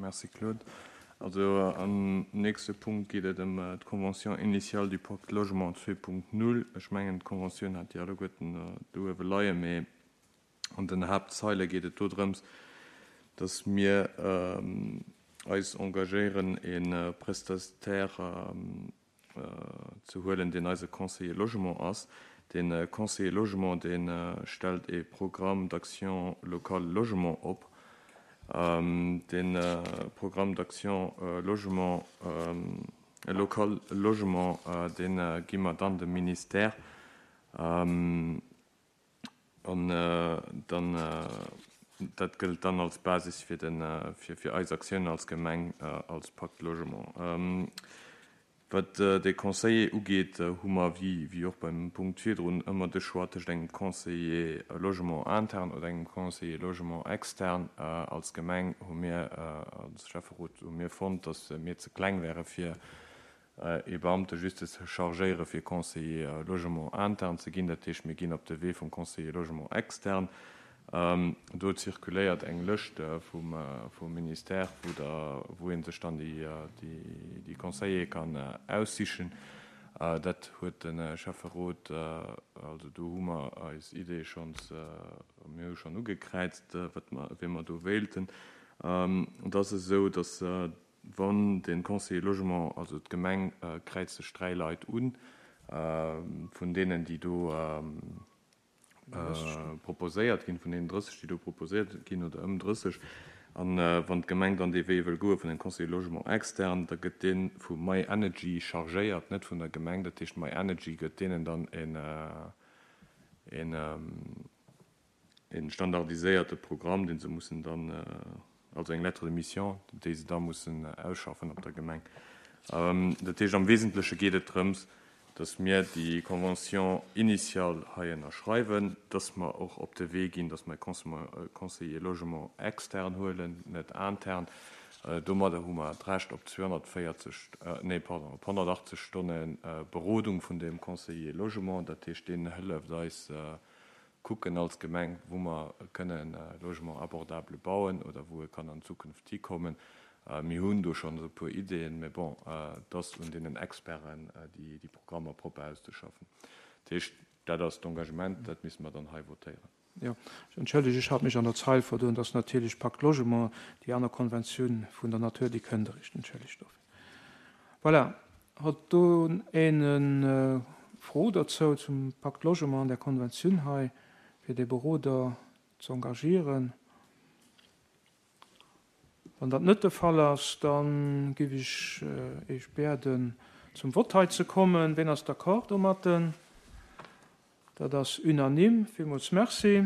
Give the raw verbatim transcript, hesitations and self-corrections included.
Merci Claude. Also am nächste Punkt geet et ëm d'Convention initiale du Pacte Logement zwee Punkt null. Ech mengen, d'Conventioun hat Dir alleguerten do uewe leien, mee an den Haaptzeile geet et do drëms, dass mir eis engagéieren, e Prestataire ze huelen, deen eise Conseiller Logement ass. Dee Conseiller Logement, dee stellt e Programme d'action locale logement op. Dee Programme d'action logement, local logement, dee gi mer dann dem Ministère. An dann, dat gëllt dann als Basis fir den, fir, fir eis Aktiounen als Gemeng, als Pacte Logement. Wat de Conseiller ugeet, hu mer, wéi, wéi och beim Punkt virdrun, ëmmer de Choix tëscht engem Conseiller Logement interne oder engem Conseiller Logement externe. Als Gemeng hu mir, als Schäfferot hu mir fonnt, datt mir ze kleng wäre fir ee Beamte just ze chargéiere fir Conseiller Logement interne ze ginn. Dat heescht, mir ginn op de Wee vum Conseiller Logement externe. Do zirkuléiert eng Lëscht vum, vum Ministère, wou der, wou ee sech dann déi, déi, déi Conseiller kann aussichen. Dat huet de Schäfferot, also do hu mer eis Idee schonns, mir hu schonn ugekräizt, wat mer, wee mer do wéilten. Et ass esou, datt wann de Conseiller Logement, also d'Gemeng kräizt sech dräi Leit un, vun deenen, déi do proposéiert ginn, vun deenen drësseg, déi do proposéiert ginn, oder ëm drësseg. An wann d'Gemeng dann dee Wee wëll goe vun engem Conseiller Logement externe, da gëtt dee vu My Energy chargéiert, net vun der Gemeng. Dat heescht, My Energy gëtt deenen dann en, en, en standardiséierte Programm, deen se mussen dann, also eng Lettre de mission, déi se da mussen ausschaffen op der Gemeng. Dat heescht, am Wesentleche geet et drëms, dass mir déi Convention initiale hei ënnerschreiwen, dass mer och op de Wee ginn, dass mer e Conseiller Logement externe huelen, net intern. Domadder hu mer d'Recht op zweehonnertvéierzeg, nee, pardon, op honnertachtzeg Stonne Berodung vun dem Conseiller Logement. Dat heescht, deen hëlleft eis kucken als Gemeng, wou mer kënnen Logement abordable bauen oder wou e kann an Zukunft hikommen. Mir hunn do schonn esou e puer Ideeën, mä bon, et ass un deenen Experten, déi déi Programmer propper auszeschaffen. Dat heescht, dat ass d'Engagement, dat misse mer dann hei votéieren. Jo, ech entschëllege, ech hat mech an der Zeil verdoen, dass natierlech Pacte Logement, déi aner Konventioun vun der Natur, déi kënnt eréischt. Entschëllegt dofir. Voilà. Huet do een Fro dozou zum Pacte Logement an der Konventioun hei, fir dee Beroder ze engagieren? Wann dat net de Fall ass, dann géif ech Iech bieden, zum Vott hei ze kommen. Wien ass d'accord domatten? Dat ass unanime. Villmools Merci.